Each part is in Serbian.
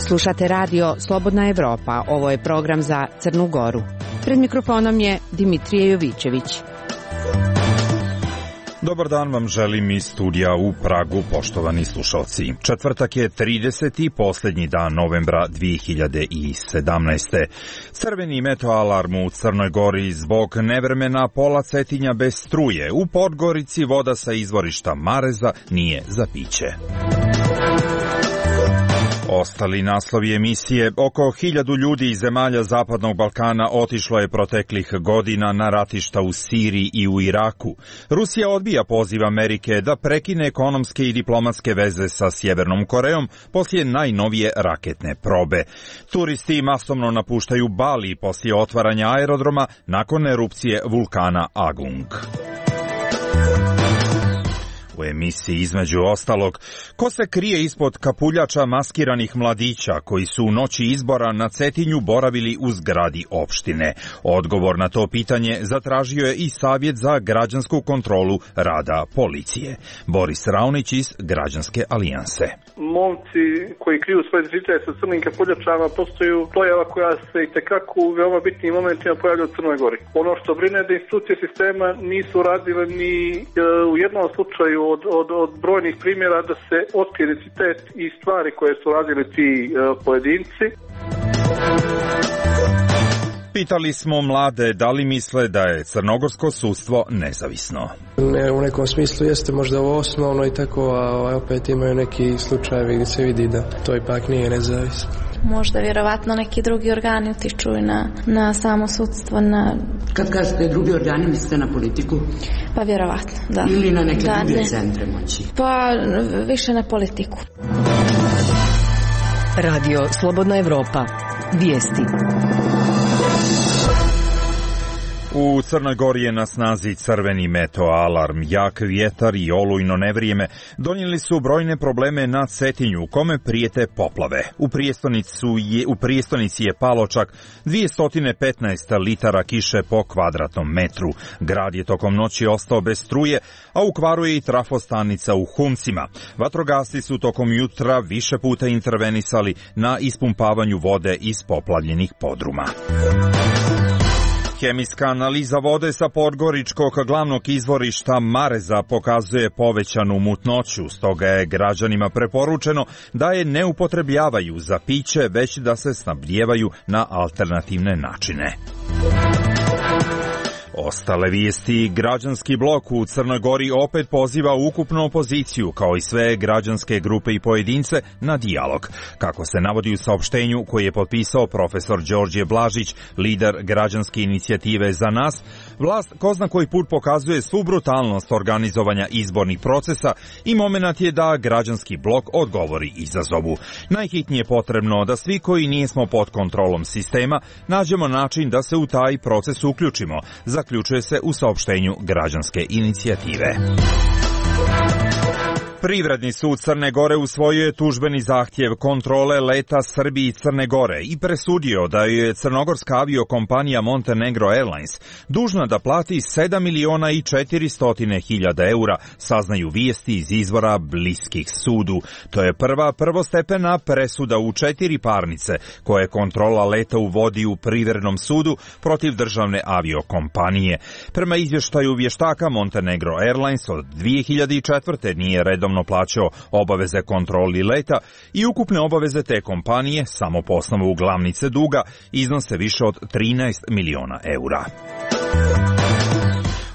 Slušate radio Slobodna Evropa. Ovo je program za Crnu Goru. Pred mikrofonom je Dimitrije Jovićević. Dobar dan vam želim iz studija u Pragu, poštovani slušalci. Četvrtak je 30. posljednji dan novembra 2017. Crveni meteoalarm u Crnoj Gori zbog nevremena, pola Cetinja bez struje. U Podgorici voda sa izvorišta Mareza nije za piće. Ostali naslovi emisije: oko 1000 ljudi iz zemalja Zapadnog Balkana otišlo je proteklih godina na ratišta u Siriji i u Iraku. Rusija odbija poziv Amerike da prekine ekonomske i diplomatske veze sa Sjevernom Korejom poslije najnovije raketne probe. Turisti masovno napuštaju Bali poslije otvaranja aerodroma nakon erupcije vulkana Agung. U emisiji između ostalog, ko se krije ispod kapuljača maskiranih mladića koji su u noći izbora na Cetinju boravili u zgradi opštine? Odgovor na to pitanje zatražio je i Savjet za građansku kontrolu rada policije. Boris Raunić iz Građanske alijanse. Momci koji kriju svoje identitet sa crnim kapuljačama postaju pojava koja se itekako u veoma bitnim momentima pojavlja u Crnoj Gori. Ono što brine da institucije sistema nisu radile ni u jednom slučaju od brojnih primjera da se otkrije identitet i stvari koje su radili ti pojedinci. Pitali smo mlade da li misle da je crnogorsko sudstvo nezavisno. U nekom smislu jeste možda ovo osnovno i tako, a opet imaju neki slučajevi gdje se vidi da to ipak nije nezavisno. Možda vjerovatno neki drugi organi utiču na samo sudstvo. Kad kažete drugi organi, mislite na politiku? Pa vjerovatno, da. Ili na neke druge centre moći? Pa više na politiku. Radio Slobodna Evropa. Vijesti. U Crnoj Gori je na snazi crveni meteoalarm. Jak vjetar i olujno nevrijeme donijeli su brojne probleme na Cetinju, u kome prijete poplave. U prijestonici je palo čak 215 litara kiše po kvadratnom metru. Grad je tokom noći ostao bez struje, a u kvaru je i trafostanica u Huncima. Vatrogasci su tokom jutra više puta intervenisali na ispumpavanju vode iz poplavljenih podruma. Hemijska analiza vode sa podgoričkog glavnog izvorišta Mareza pokazuje povećanu mutnoću, stoga je građanima preporučeno da je ne upotrebljavaju za piće, već da se snabdijevaju na alternativne načine. Ostale vijesti: građanski blok u Crnoj Gori opet poziva ukupnu opoziciju, kao i sve građanske grupe i pojedince, na dijalog. Kako se navodi u saopštenju koje je potpisao profesor Đorđe Blažić, lider građanske inicijative Za nas, vlast ko zna koji put pokazuje svu brutalnost organizovanja izbornih procesa i momenat je da građanski blok odgovori izazovu. Najhitnije je potrebno da svi koji nismo pod kontrolom sistema nađemo način da se u taj proces uključimo, zaključuje se u saopštenju građanske inicijative. Privredni sud Crne Gore usvojio je tužbeni zahtjev kontrole leta Srbiji i Crne Gore i presudio da je crnogorska aviokompanija Montenegro Airlines dužna da plati 7.400.000 eura, saznaju vijesti iz izvora bliskih sudu. To je prva prvostepena presuda u 4 parnice koje kontrola leta uvodi u privrednom sudu protiv državne aviokompanije. Prema izvještaju vještaka, Montenegro Airlines od 2004. nije redovno plaćao obaveze kontroli leta i ukupne obaveze te kompanije samo po osnovu glavnice duga iznose više od 13 miliona eura.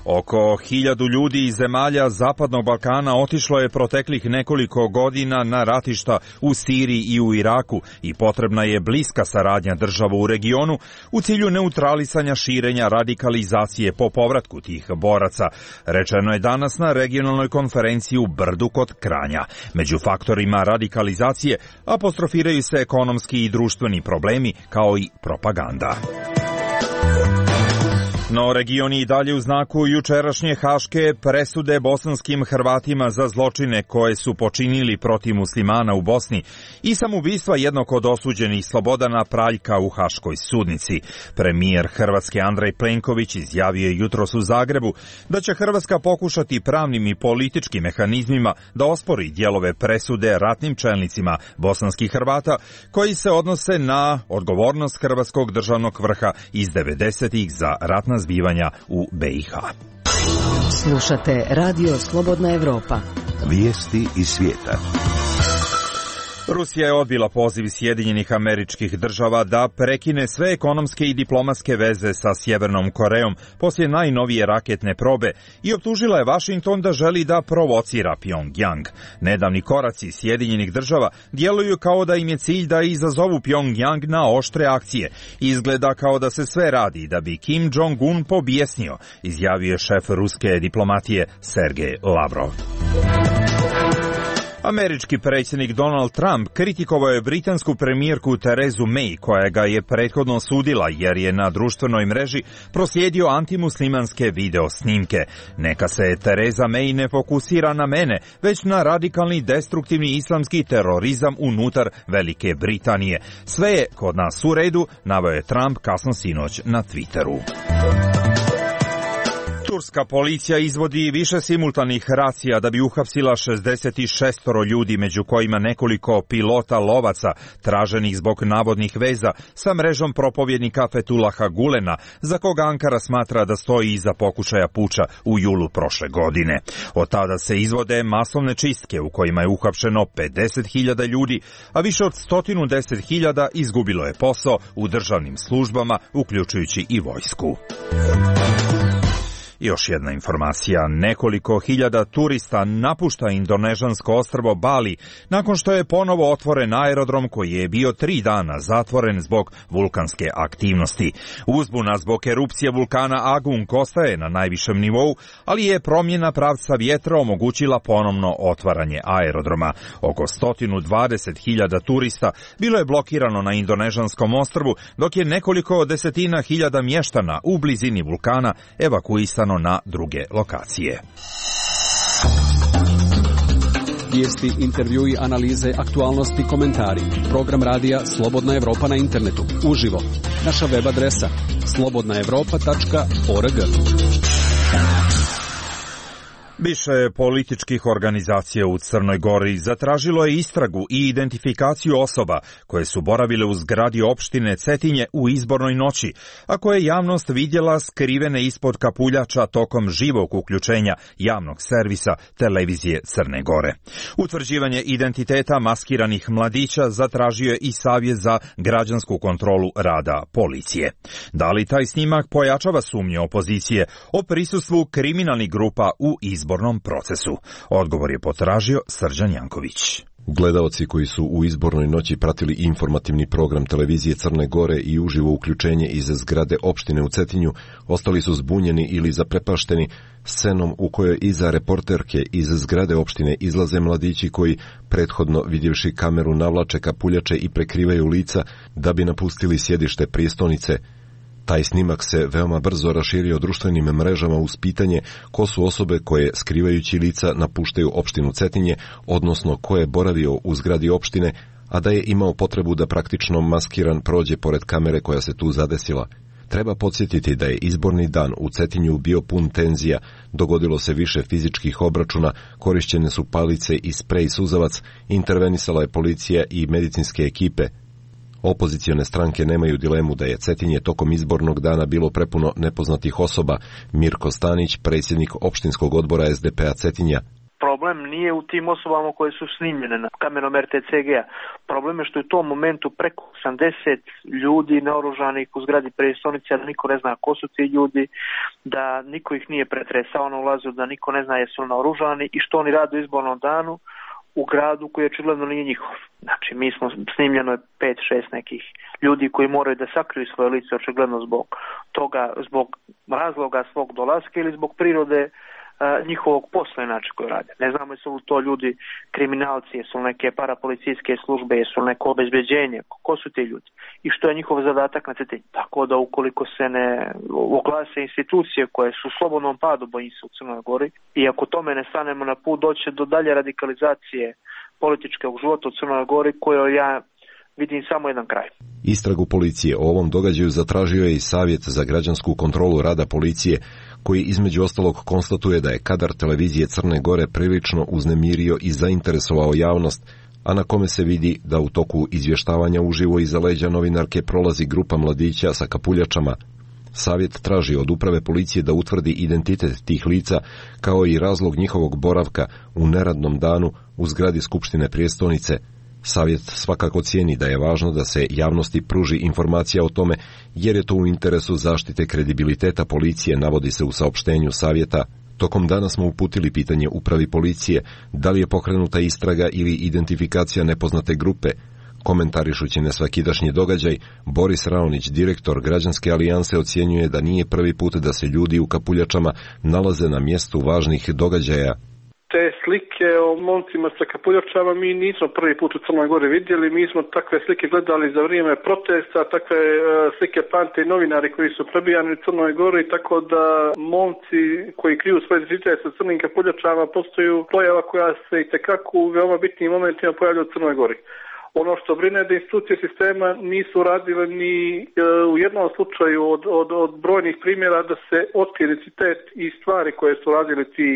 Oko 1000 ljudi iz zemalja Zapadnog Balkana otišlo je proteklih nekoliko godina na ratišta u Siriji i u Iraku i potrebna je bliska saradnja država u regionu u cilju neutralisanja širenja radikalizacije po povratku tih boraca, rečeno je danas na regionalnoj konferenciji u Brdu kod Kranja. Među faktorima radikalizacije apostrofiraju se ekonomski i društveni problemi kao i propaganda. No region je i dalje u znaku jučerašnje haške presude bosanskim Hrvatima za zločine koje su počinili protiv muslimana u Bosni i samoubistva jednog od osuđenih Slobodana Praljka u haškoj sudnici. Premijer Hrvatske Andrej Plenković izjavio je jutros u Zagrebu da će Hrvatska pokušati pravnim i političkim mehanizmima da ospori dijelove presude ratnim čelnicima bosanskih Hrvata koji se odnose na odgovornost hrvatskog državnog vrha iz 90-ih za ratna zbivanja u BiH. Slušate Radio Slobodna Evropa. Vijesti iz svijeta. Rusija je odbila poziv Sjedinjenih Američkih Država da prekine sve ekonomske i diplomatske veze sa Sjevernom Korejom poslije najnovije raketne probe i optužila je Vašington da želi da provocira Pjongjang. Nedavni koraci Sjedinjenih Država djeluju kao da im je cilj da izazovu Pjongjang na oštre akcije. Izgleda kao da se sve radi da bi Kim Jong-un pobjesnio, izjavio je šef ruske diplomatije Sergej Lavrov. Američki predsjednik Donald Trump kritikovao je britansku premijerku Terezu May, koja ga je prethodno osudila jer je na društvenoj mreži proslijedio antimuslimanske video snimke. Neka se Tereza May ne fokusira na mene, već na radikalni destruktivni islamski terorizam unutar Velike Britanije. Sve je kod nas u redu, naveo je Trump kasno sinoć na Twitteru. Turska policija izvodi više simultanih racija da bi uhapsila 66 ljudi, među kojima nekoliko pilota lovaca traženih zbog navodnih veza sa mrežom propovjednika Fethullaha Gulena, za koga Ankara smatra da stoji iza pokušaja puča u julu prošle godine. Od tada se izvode masovne čistke u kojima je uhapšeno 50.000 ljudi, a više od 110.000 izgubilo je posao u državnim službama, uključujući i vojsku. Još jedna informacija, nekoliko hiljada turista napušta indonežansko ostrvo Bali nakon što je ponovo otvoren aerodrom koji je bio 3 dana zatvoren zbog vulkanske aktivnosti. Uzbuna zbog erupcije vulkana Agung ostaje na najvišem nivou, ali je promjena pravca vjetra omogućila ponovno otvaranje aerodroma. Oko 120.000 turista bilo je blokirano na indonežanskom ostrvu, dok je nekoliko desetina hiljada mještana u blizini vulkana evakuisano na druge lokacije. Vijesti, intervjui, analize, aktualnosti, komentari. Program radija Slobodna Evropa na internetu. Uživo. Naša web adresa slobodnaevropa.org. Više političkih organizacija u Crnoj Gori zatražilo je istragu i identifikaciju osoba koje su boravile u zgradi opštine Cetinje u izbornoj noći, a koje je javnost vidjela skrivene ispod kapuljača tokom živog uključenja javnog servisa televizije Crne Gore. Utvrđivanje identiteta maskiranih mladića zatražio je i Savjet za građansku kontrolu rada policije. Da li taj snimak pojačava sumnje opozicije o prisustvu kriminalnih grupa u izbornom procesu? Odgovor je potražio Srđan Janković. Gledaoci koji su u izbornoj noći pratili informativni program televizije Crne Gore i uživo uključenje iz zgrade opštine u Cetinju ostali su zbunjeni ili zaprepašteni scenom u kojoj iza reporterke iz zgrade opštine izlaze mladići koji, prethodno vidjevši kameru, navlače kapuljače i prekrivaju lica da bi napustili sjedište prijestolnice. Taj snimak se veoma brzo raširio društvenim mrežama uz pitanje ko su osobe koje, skrivajući lica, napuštaju opštinu Cetinje, odnosno ko je boravio u zgradi opštine, a da je imao potrebu da praktično maskiran prođe pored kamere koja se tu zadesila. Treba podsjetiti da je izborni dan u Cetinju bio pun tenzija, dogodilo se više fizičkih obračuna, korišćene su palice i sprej suzavac, intervenisala je policija i medicinske ekipe. Opozicione stranke nemaju dilemu da je Cetinje tokom izbornog dana bilo prepuno nepoznatih osoba. Mirko Stanić, predsjednik opštinskog odbora SDP-a Cetinja. Problem nije u tim osobama koje su snimljene na kamerom RTCG-a. Problem je što je u tom momentu preko 80 ljudi naoružanih u zgradi prijestolnice, da niko ne zna ko su ti ljudi, da niko ih nije pretresao na ulazu, da niko ne zna jesu naoružani i što oni rade u izbornom danu u gradu koji očigledno nije njihov. Znači, mi smo snimljeno je 5-6 nekih ljudi koji moraju da sakriju svoje lice očigledno zbog toga, zbog razloga svog dolaska ili zbog prirode njihovog posla inače koje rade. Ne znamo jesu li to ljudi kriminalci, jesu li neke parapolicijske službe, jesu li neko obezbeđenje, ko su ti ljudi i što je njihov zadatak na cetinju. Tako da ukoliko se ne oglase institucije koje su u slobodnom padu, bojim se, u Crnoj Gori, i ako tome ne stanemo na put, doće do dalje radikalizacije političkog života u Crnoj Gori kojoj ja vidim samo jedan kraj. Istragu policije o ovom događaju zatražio je i Savjet za građansku kontrolu rada policije, koji između ostalog konstatuje da je kadar televizije Crne Gore prilično uznemirio i zainteresovao javnost, a na kome se vidi da u toku izvještavanja uživo iza leđa novinarke prolazi grupa mladića sa kapuljačama. Savjet traži od uprave policije da utvrdi identitet tih lica, kao i razlog njihovog boravka u neradnom danu u zgradi Skupštine prijestolnice. Savjet svakako cijeni da je važno da se javnosti pruži informacija o tome, jer je to u interesu zaštite kredibiliteta policije, navodi se u saopštenju Savjeta. Tokom dana smo uputili pitanje upravi policije da li je pokrenuta istraga ili identifikacija nepoznate grupe. Komentarišući nesvakidašnji događaj, Boris Raonić, direktor Građanske alijanse, ocjenjuje da nije prvi put da se ljudi u kapuljačama nalaze na mjestu važnih događaja. Te slike o momcima sa kapuljačama mi nismo prvi put u Crnoj Gori vidjeli, mi smo takve slike gledali za vrijeme protesta, takve slike pamte i novinari koji su prebijani u Crnoj Gori, tako da momci koji kriju svoje identitet sa crnim kapuljačama postaju pojava koja se itekako u veoma bitnim momentima pojavlja u Crnoj Gori. Ono što brine da institucije sistema nisu radile ni u jednom slučaju od brojnih primjera da se otkrije identitet i stvari koje su radili ti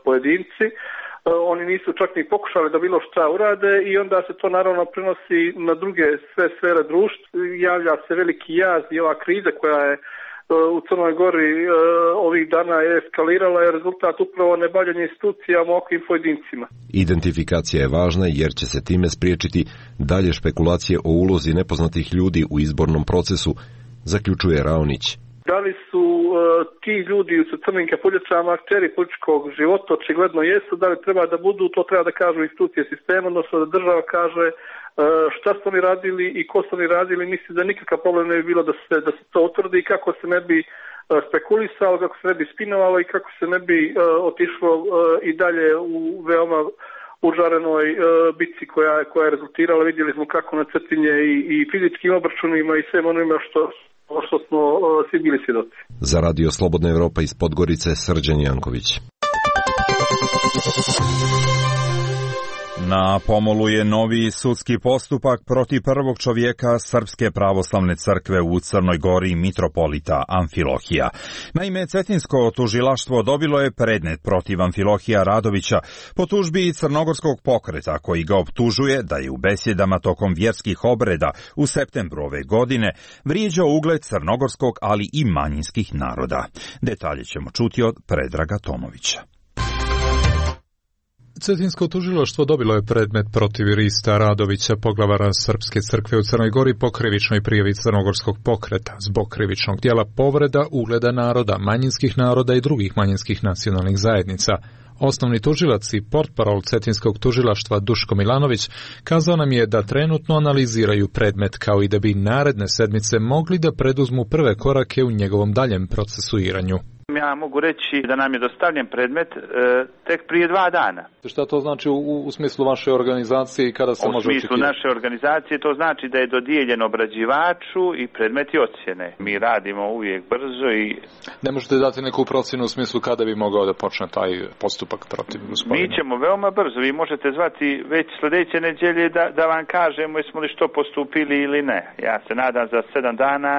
pojedinci. Oni nisu čak ni pokušali da bilo šta urade i onda se to naravno prenosi na druge sve sfere društva. Javlja se veliki jaz i ova kriza koja je u Crnoj Gori ovih dana je eskalirala, je rezultat upravo nebavljanja institucijama ovakvim pojedincima. Identifikacija je važna jer će se time spriječiti dalje špekulacije o ulozi nepoznatih ljudi u izbornom procesu, zaključuje Raonić. Da li su ti ljudi sa crnim kapuljačama akteri političkog života? Očigledno jesu. Da li treba da budu, to treba da kažu institucije sistema, odnosno da država kaže šta su oni radili i ko su oni radili. Mislim da nikakav problem ne bi bilo da se to utvrdi i kako se ne bi spekulisalo, kako se ne bi spinovalo i kako se ne bi otišlo i dalje u veoma užarenoj bitci koja je rezultirala. Vidjeli smo kako na Cetinje i fizičkim obračunima i svem onima što smo svi bili svjedoci. Za Radio Slobodna Evropa iz Podgorice, Srđan Janković. Na pomolu je novi sudski postupak protiv prvog čovjeka Srpske pravoslavne crkve u Crnoj Gori, mitropolita Amfilohija. Naime, Cetinsko tužilaštvo dobilo je predmet protiv Amfilohija Radovića po tužbi Crnogorskog pokreta, koji ga optužuje da je u besjedama tokom vjerskih obreda u septembru ove godine vrijeđao ugled crnogorskog, ali i manjinskih naroda. Detalje ćemo čuti od Predraga Tomovića. Cetinsko tužilaštvo dobilo je predmet protiv Rista Radovića, poglavara Srpske crkve u Crnoj Gori, po krivičnoj prijavi Crnogorskog pokreta zbog krivičnog djela povreda ugleda naroda, manjinskih naroda i drugih manjinskih nacionalnih zajednica. Osnovni tužilac i portparol Cetinskog tužilaštva Duško Milanović kazao nam je da trenutno analiziraju predmet, kao i da bi naredne sedmice mogli da preduzmu prve korake u njegovom daljem procesuiranju. Ja mogu reći da nam je dostavljen predmet tek prije 2 dana. Šta to znači u smislu vaše organizacije i kada se može očekivati? U smislu naše organizacije to znači da je dodijeljen obrađivaču i predmeti ocjene. Mi radimo uvijek brzo i... Ne možete dati neku procjenu u smislu kada bi mogao da počne taj postupak protiv gospodina? Mi ćemo veoma brzo. Vi možete zvati već sljedeće nedjelje da vam kažemo jesmo li što postupili ili ne. Ja se nadam za 7 dana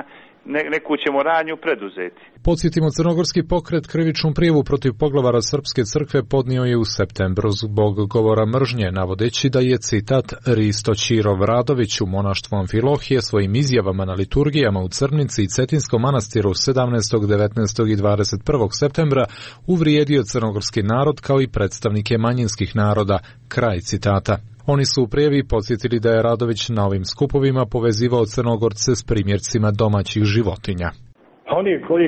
neku ćemo radnju preduzeti. Podsjetimo, Crnogorski pokret krivičnu prijavu protiv poglavara Srpske crkve podnio je u septembru zbog govora mržnje, navodeći da je, citat, Risto Ćirov Radović u monaštvu Amfilohije svojim izjavama na liturgijama u Crnici i Cetinskom manastiru 17., 19. i 21. septembra uvrijedio crnogorski narod kao i predstavnike manjinskih naroda, kraj citata. Oni su u prijavi podsjetili da je Radović na ovim skupovima povezivao Crnogorce s primjercima domaćih životinja. Oni koji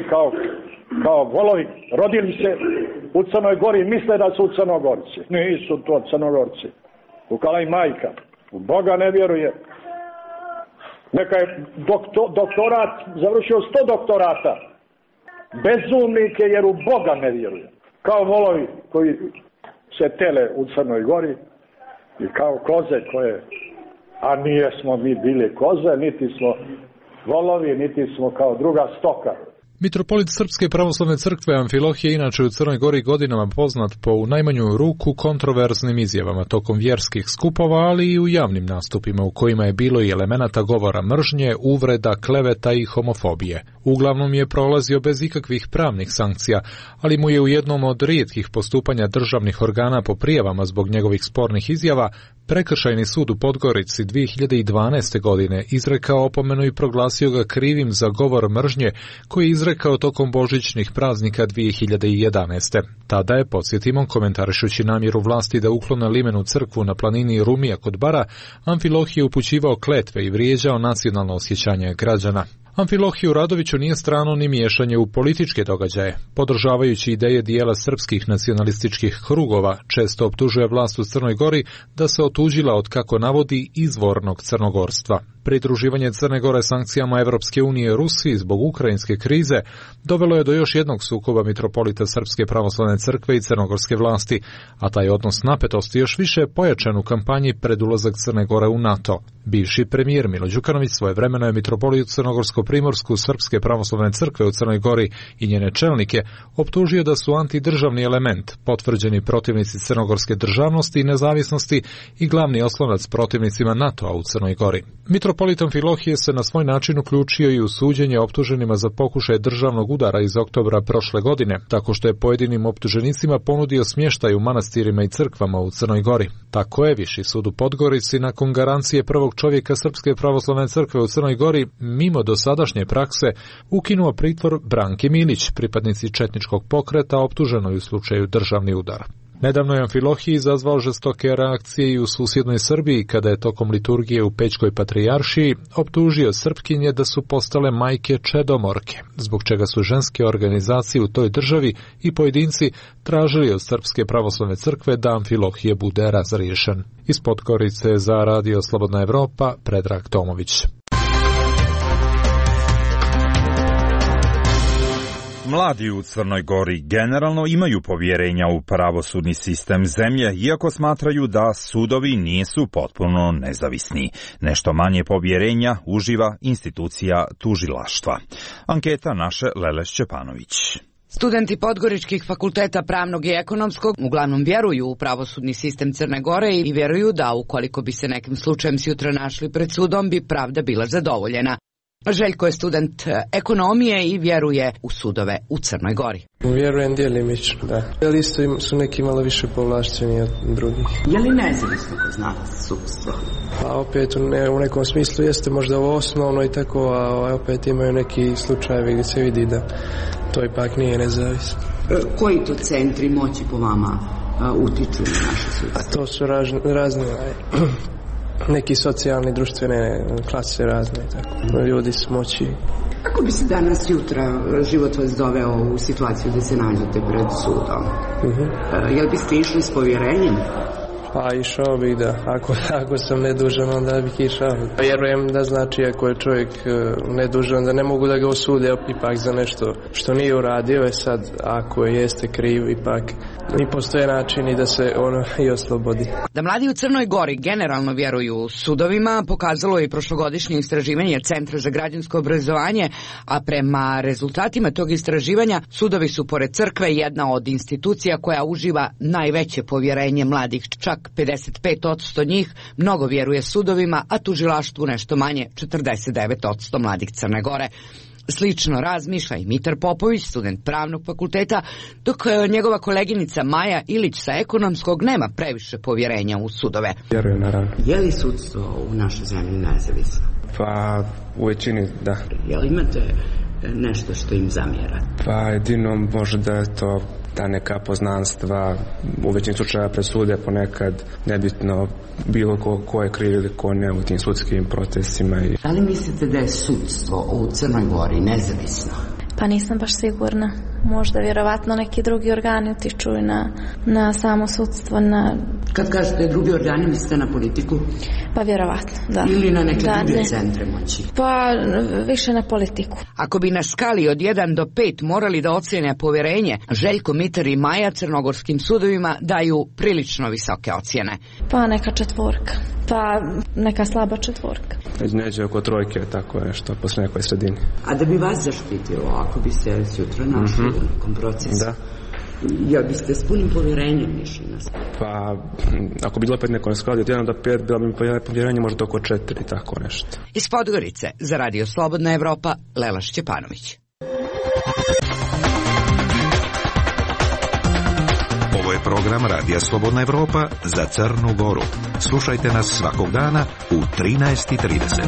kao volovi rodili se u Crnoj Gori misle da su Crnogorci. Nisu to Crnogorci. Kukala i majka. U Boga ne vjeruje. Neka je doktorat, završio 100 doktorata. Bezumnik je jer u Boga ne vjeruje. kao volovi koji se tele u Crnoj Gori i kao koze koje, a nije smo mi bili koze, niti smo volovi, niti smo kao druga stoka. Mitropolit Srpske pravoslavne crkve Amfilohije inače u Crnoj Gori godinama poznat po u najmanju ruku kontroverznim izjavama tokom vjerskih skupova, ali i u javnim nastupima u kojima je bilo i elemenata govora mržnje, uvreda, kleveta i homofobije. Uglavnom je prolazio bez ikakvih pravnih sankcija, ali mu je u jednom od rijetkih postupanja državnih organa po prijavama zbog njegovih spornih izjava Prekršajni sud u Podgorici 2012. godine izrekao opomenu i proglasio ga krivim za govor mržnje koji je izrekao tokom božićnih praznika 2011. Tada je, podsjetimo, komentarišući namjeru vlasti da uklone limenu crkvu na planini Rumija kod Bara, Amfilohije upućivao kletve i vrijeđao nacionalno osjećanje građana. Amfilohiju Radoviću nije strano ni miješanje u političke događaje. Podržavajući ideje dijela srpskih nacionalističkih krugova, često optužuje vlast u Crnoj Gori da se otuđila od, kako navodi, izvornog crnogorstva. Pridruživanje Crne Gore sankcijama Evropske unije Rusiji zbog ukrajinske krize dovelo je do još jednog sukoba mitropolita Srpske pravoslavne crkve i crnogorske vlasti, a taj odnos napetosti još više pojačan u kampanji pred ulazak Crne Gore u NATO. Bivši premijer Milo Đukanović svojevremeno je mitropolitu Crnogorsko-primorsku Srpske pravoslavne crkve u Crnoj Gori i njene čelnike optužio da su antidržavni element, potvrđeni protivnici crnogorske državnosti i nezavisnosti i glavni oslonac protivnicima NATO-a u Crnoj Gori. Mitropolit Amfilohije se na svoj način uključio i u suđenje optuženima za pokušaj državnog udara iz oktobra prošle godine, tako što je pojedinim optuženicima ponudio smještaj u manastirima i crkvama u Crnoj Gori. Tako je Viši sud u Podgorici nakon garancije prvog čovjeka Srpske pravoslavne crkve u Crnoj Gori, mimo dosadašnje prakse, ukinuo pritvor Branki Milić, pripadnici četničkog pokreta optuženoj u slučaju državni udar. Nedavno je Amfilohije izazvao žestoke reakcije i u susjednoj Srbiji kada je tokom liturgije u Pećkoj patrijaršiji optužio Srpkinje da su postale majke čedomorke, zbog čega su ženske organizacije u toj državi i pojedinci tražili od Srpske pravoslavne crkve da Amfilohije bude razriješen. Iz Podgorice za Radio Slobodna Evropa, Predrag Tomović. Mladi u Crnoj Gori generalno imaju povjerenja u pravosudni sistem zemlje, iako smatraju da sudovi nisu potpuno nezavisni. Nešto manje povjerenja uživa institucija tužilaštva. Anketa naše Lele Šćepanović. Studenti podgoričkih fakulteta pravnog i ekonomskog uglavnom vjeruju u pravosudni sistem Crne Gore i vjeruju da ukoliko bi se nekim slučajem sutra našli pred sudom bi pravda bila zadovoljena. Željko je student ekonomije i vjeruje u sudove u Crnoj Gori. Vjerujem djelimično, da. Ali isto su neki malo više povlašćeni od drugih. Je li nezavisno kod nas sudstvo? Pa opet u nekom smislu jeste možda ovo osnovno i tako, a opet imaju neki slučajevi gdje se vidi da to ipak nije nezavisno. Koji to centri moći po vama utiču na naše sudstvo? A to su razne neki socijalni, društvene klase razne, tako. Ljudi s moći. Kako bi se danas jutra život vas doveo u situaciju da se nađete pred sudom? Jel biste išli s povjerenjem? Pa išao bih, da. Ako sam nedužan, onda bih išao. Vjerujem da znači ako je čovjek nedužan, da ne mogu da ga osude ipak za nešto što nije uradio. Sad, ako jeste kriv, ipak i postoje načini da se ono i oslobodi. Da mladi u Crnoj Gori generalno vjeruju sudovima pokazalo je i prošlogodišnje istraživanje Centra za građansko obrazovanje, a prema rezultatima tog istraživanja sudovi su pored crkve jedna od institucija koja uživa najveće povjerenje mladih. Čak 55% njih mnogo vjeruje sudovima, a tužilaštvu nešto manje, 49% mladih Crne Gore. Slično razmišlja i Mitar Popović, student pravnog fakulteta, dok njegova koleginica Maja Ilić sa ekonomskog nema previše povjerenja u sudove. Vjerujem, naravno. Je li sudstvo u našoj zemlji nezavisno? Pa u većini da. Jel imate nešto što im zamjera? Pa jedino možda je to ta neka poznanstva, u većini slučaja presude ponekad nebitno bilo ko je kriv ili ko ne u tim sudskim procesima. Da li mislite da je sudstvo u Crnoj Gori nezavisno? Pa nisam baš sigurna. Možda vjerovatno neki drugi organi utiču i na samo sudstvo. Kad kažete drugi organi, mislite na politiku? Pa vjerovatno, da. Ili na neke druge centre moći? Pa više na politiku. Ako bi na skali od 1 do 5 morali da ocjene povjerenje, Željko Mitar i Maja crnogorskim sudovima daju prilično visoke ocjene. Pa neka 4, pa neka slaba 4. Neđe oko 3, tako nešto, posle nekoj sredini. A da bi vas zaštitilo, ako biste sutra našli u nekom procesu? Da. Ja biste s punim povjerenjem išli na sve? Pa, ako bi bilo opet neko na skali od 1 do 5, bilo bi povjerenje možda oko 4, tako nešto. Iz Podgorice, za Radio Slobodna Evropa, Lela Šćepanović. Ovo je program Radija Slobodna Evropa za Crnu Goru. Slušajte nas svakog dana u 13:30.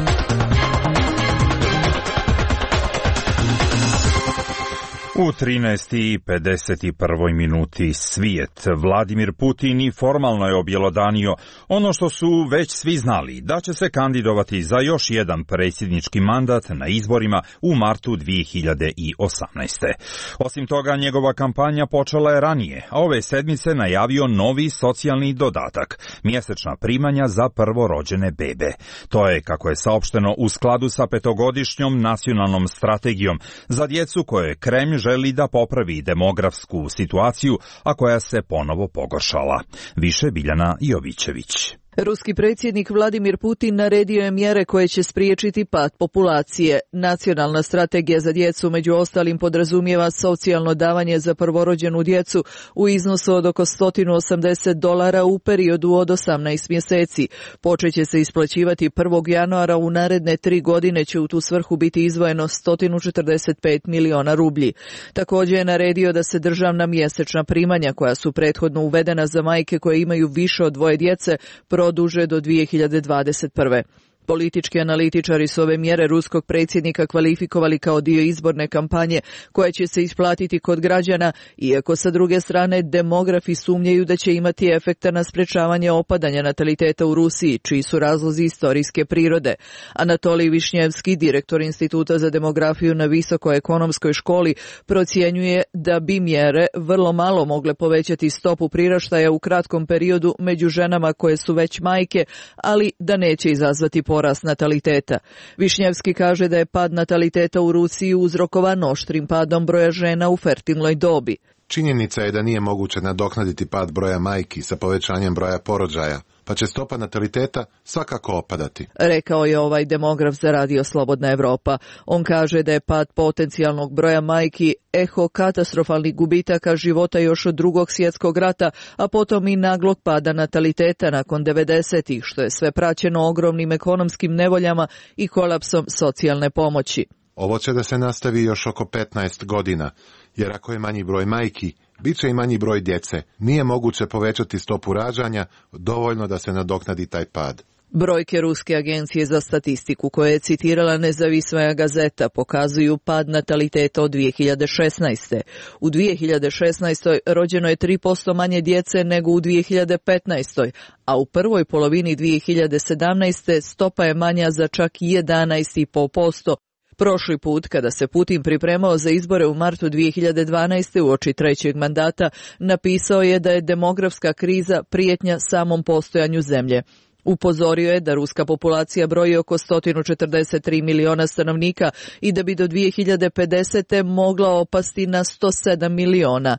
U 13:51 minuti svijet. Vladimir Putin i formalno je objelodanio ono što su već svi znali, da će se kandidovati za još jedan predsjednički mandat na izborima u martu 2018. Osim toga, njegova kampanja počela je ranije, a ove sedmice najavio novi socijalni dodatak, mjesečna primanja za prvorođene bebe. To je, kako je saopšteno, u skladu sa 5-godišnjom nacionalnom strategijom za djecu koje Kremlj želi da popravi demografsku situaciju, a koja se ponovo pogoršala. Više Biljana Jovićević. Ruski predsjednik Vladimir Putin naredio je mjere koje će spriječiti pad populacije. Nacionalna strategija za djecu među ostalim podrazumijeva socijalno davanje za prvorođenu djecu u iznosu od oko $180 u periodu od 18 mjeseci. Počeće se isplaćivati 1. januara, u naredne 3 godine će u tu svrhu biti izdvojeno 145 miliona rublji. Također je naredio da se državna mjesečna primanja koja su prethodno uvedena za majke koje imaju više od 2 djece produže do 2021. Politički analitičari su ove mjere ruskog predsjednika kvalifikovali kao dio izborne kampanje koja će se isplatiti kod građana, iako sa druge strane demografi sumnjaju da će imati efekta na sprečavanje opadanja nataliteta u Rusiji, čiji su razlozi istorijske prirode. Anatolij Višnjevski, direktor Instituta za demografiju na Visokoj ekonomskoj školi, procjenjuje da bi mjere vrlo malo mogle povećati stopu priraštaja u kratkom periodu među ženama koje su već majke, ali da neće izazvati porast nataliteta. Višnjevski kaže da je pad nataliteta u Rusiji uzrokovan oštrim padom broja žena u fertilnoj dobi. Činjenica je da nije moguće nadoknaditi pad broja majki sa povećanjem broja porođaja, pa će stopa nataliteta svakako opadati, rekao je ovaj demograf za Radio Slobodna Evropa. On kaže da je pad potencijalnog broja majki eho katastrofalnih gubitaka života još od II. Svjetskog rata, a potom i naglog pada nataliteta nakon 90-ih, što je sve praćeno ogromnim ekonomskim nevoljama i kolapsom socijalne pomoći. Ovo će da se nastavi još oko 15 godina, jer ako je manji broj majki, bit će i manji broj djece. Nije moguće povećati stopu rađanja dovoljno da se nadoknadi taj pad. Brojke Ruske agencije za statistiku, koje je citirala nezavisna gazeta, pokazuju pad nataliteta od 2016. U 2016. rođeno je 3% manje djece nego u 2015. a u prvoj polovini 2017. stopa je manja za čak 11,5%. Prošli put, kada se Putin pripremao za izbore u martu 2012. uoči trećeg mandata, napisao je da je demografska kriza prijetnja samom postojanju zemlje. Upozorio je da ruska populacija broji oko 143 miliona stanovnika i da bi do 2050. mogla opasti na 107 miliona.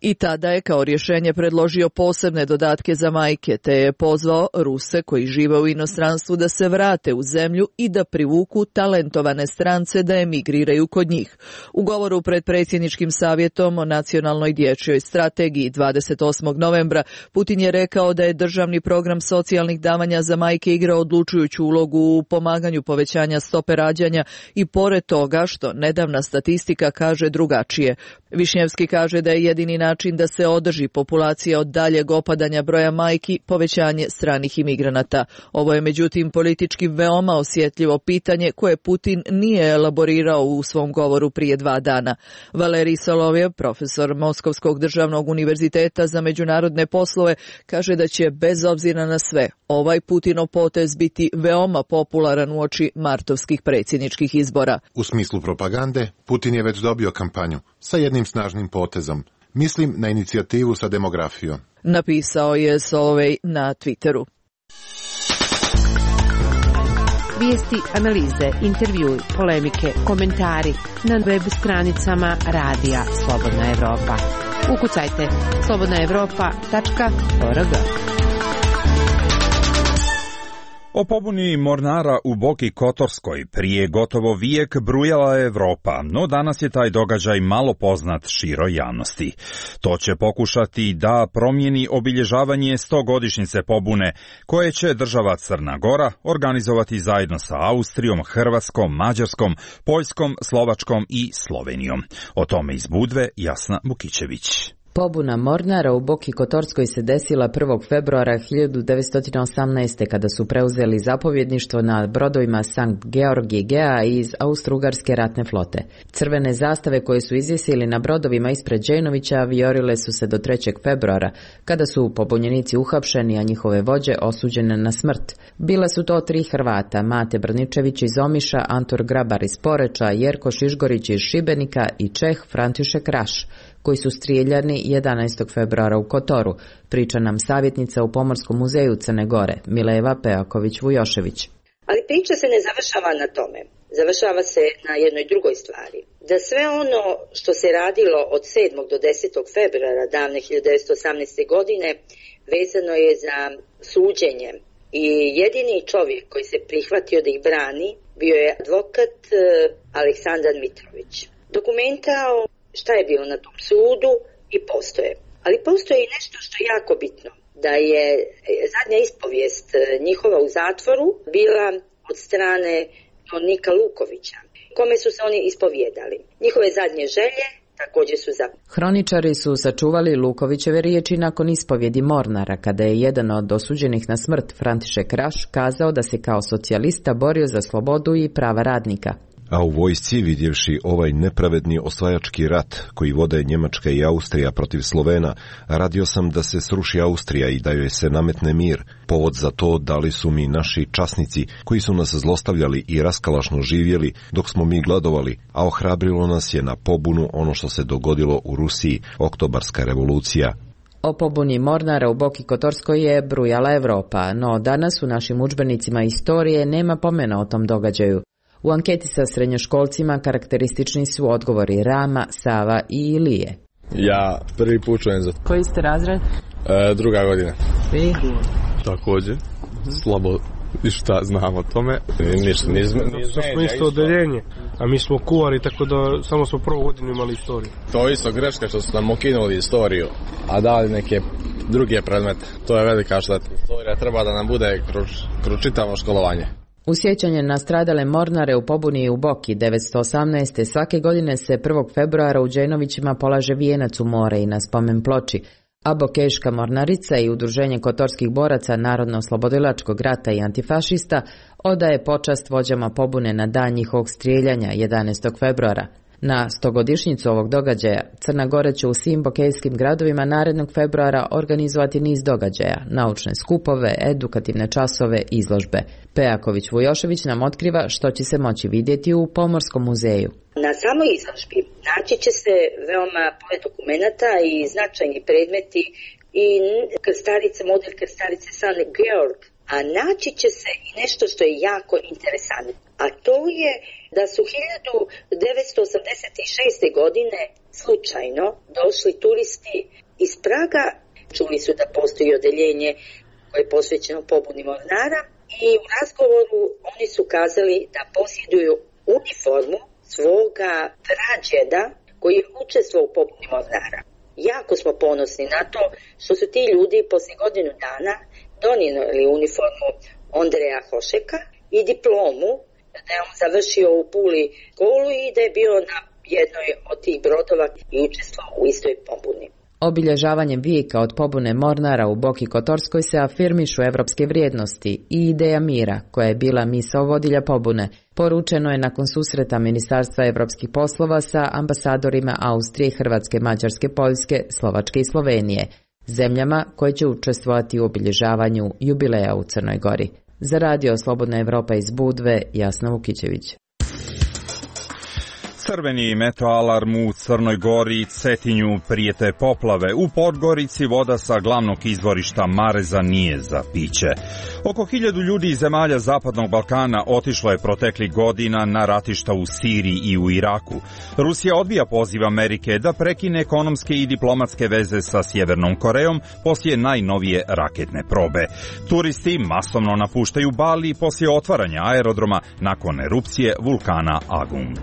I tada je kao rješenje predložio posebne dodatke za majke, te je pozvao Ruse koji žive u inostranstvu da se vrate u zemlju i da privuku talentovane strance da emigriraju kod njih. U govoru pred predsjedničkim savjetom o nacionalnoj dječjoj strategiji 28. novembra Putin je rekao da je državni program socijalnih davanja za majke igra odlučujuću ulogu u pomaganju povećanja stope rađanja i pored toga što nedavna statistika kaže drugačije. Višnjevski kaže da je jedini način da se održi populacija od daljeg opadanja broja majki povećanje stranih imigranata. Ovo je međutim politički veoma osjetljivo pitanje koje Putin nije elaborirao u svom govoru prije 2 dana. Valerij Solovjev, profesor Moskovskog državnog univerziteta za međunarodne poslove, kaže da će bez obzira na sve ovaj ovaj Putinov potez biti veoma popularan uoči martovskih predsjedničkih izbora. U smislu propagande, Putin je već dobio kampanju sa jednim snažnim potezom. Mislim na inicijativu sa demografijom. Napisao je Solovej na Twitteru. Vijesti, analize, intervjui, polemike, komentari na web stranicama Radija Slobodna Evropa. Ukucajte slobodnaevropa.org. O pobuni mornara u Boki Kotorskoj prije gotovo vijek brujala je Evropa, no danas je taj događaj malo poznat široj javnosti. To će pokušati da promijeni obilježavanje 100-godišnjice pobune, koje će država Crna Gora organizovati zajedno sa Austrijom, Hrvatskom, Mađarskom, Poljskom, Slovačkom i Slovenijom. O tome iz Budve Jasna Bukićević. Pobuna mornara u Boki Kotorskoj se desila 1. februara 1918. kada su preuzeli zapovjedništvo na brodovima Sankt Georg i Gea iz Austro-Ugarske ratne flote. Crvene zastave koje su izvisili na brodovima ispred Džejnovića vijorile su se do 3. februara, kada su pobunjenici uhapšeni, a njihove vođe osuđene na smrt. Bile su to 3 Hrvata, Mate Brničević iz Omiša, Antor Grabar iz Poreča, Jerko Šišgorić iz Šibenika i Čeh František Raš, koji su strijeljani 11. februara u Kotoru, priča nam savjetnica u Pomorskom muzeju Crne Gore, Mileva Pejaković-Vujošević. Ali priča se ne završava na tome. Završava se na jednoj drugoj stvari. Da sve ono što se radilo od 7. do 10. februara davne 1918. godine vezano je za suđenje. I jedini čovjek koji se prihvatio da ih brani bio je advokat Aleksandar Mitrović. Dokumenta šta je bilo na tom sudu i postoje. Ali postoje i nešto što je jako bitno, da je zadnja ispovijest njihova u zatvoru bila od strane Nika Lukovića, kome su se oni ispovjedali. Njihove zadnje želje također su Hroničari su sačuvali Lukovićeve riječi nakon ispovjedi mornara, kada je jedan od osuđenih na smrt, František Raš, kazao da se kao socijalista borio za slobodu i prava radnika. A u vojsci, vidjevši ovaj nepravedni osvajački rat koji vode Njemačka i Austrija protiv Slovena, radio sam da se sruši Austrija i da joj se nametne mir. Povod za to dali su mi naši časnici koji su nas zlostavljali i raskalašno živjeli dok smo mi gladovali, a ohrabrilo nas je na pobunu ono što se dogodilo u Rusiji, Oktobarska revolucija. O pobuni mornara u Boki Kotorskoj je brujala Evropa, no danas u našim udžbenicima istorije nema pomena o tom događaju. U anketi sa srednjoškolcima karakteristični su odgovori Rama, Sava i Ilije. Ja prvi put čujem za... Koji ste razred? 2. godina. Vi? Također. Slabo i šta znam o tome. Ništa, smo isto odeljenje, a mi smo kuvari, tako da samo smo prvu godinu imali istoriju. To je isto greška što su nam ukinuli istoriju, a dali neke druge predmete. To je velika šteta. Istorija treba da nam bude kroz čitavo školovanje. U sjećanje na stradale mornare u pobuni u Boki 1918. svake godine se 1. februara u Džejnovićima polaže vijenac u more i na spomen ploči, a Bokeška mornarica i Udruženje kotorskih boraca Narodno-oslobodilačkog rata i antifašista odaje počast vođama pobune na dan njihovog strijeljanja 11. februara. Na 100-godišnjicu ovog događaja Crna Gora će u svim bokejskim gradovima narednog februara organizovati niz događaja, naučne skupove, edukativne časove, izložbe. Pejaković-Vujošević nam otkriva što će se moći vidjeti u Pomorskom muzeju. Na samoj izložbi naći će se veoma pored dokumenata i značajni predmeti i krstarice, model krstarice San Georg, a naći će se i nešto što je jako interesantno, a to je da su 1986. godine slučajno došli turisti iz Praga, čuli su da postoji odeljenje koje je posvećeno pobuni mornara i u razgovoru oni su kazali da posjeduju uniformu svoga prađeda koji je učestvovao u pobuni mornara. Jako smo ponosni na to što su ti ljudi poslije godinu dana donijeli uniformu Ondreja Hošeka i diplomu da je on završio u Puli školu i da je bio na jednoj od tih brodova i učestvovao u istoj pobuni. Obilježavanjem vijeka od pobune mornara u Boki Kotorskoj se afirmišu evropske vrijednosti i ideja mira, koja je bila misao vodilja pobune, poručeno je nakon susreta Ministarstva evropskih poslova sa ambasadorima Austrije, Hrvatske, Mađarske, Poljske, Slovačke i Slovenije. zemljama koje će učestvovati u obilježavanju jubileja u Crnoj Gori. Za radio Slobodna Evropa iz Budve, Jasna Vukićević. Crveni meteoalarm u Crnoj Gori i Cetinju, prijete poplave. U Podgorici voda sa glavnog izvorišta Mareza nije za piće. Oko 1000 ljudi iz zemalja Zapadnog Balkana otišlo je proteklih godina na ratišta u Siriji i u Iraku. Rusija odbija poziv Amerike da prekine ekonomske i diplomatske veze sa Sjevernom Korejom poslije najnovije raketne probe. Turisti masovno napuštaju Bali poslije otvaranja aerodroma nakon erupcije vulkana Agung.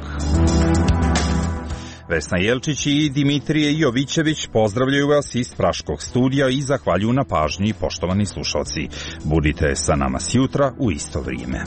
Vesna Jelčić i Dimitrije Jovićević pozdravljaju vas iz Praškog studija i zahvaljuju na pažnji, poštovani slušalci. Budite sa nama sjutra u isto vrijeme.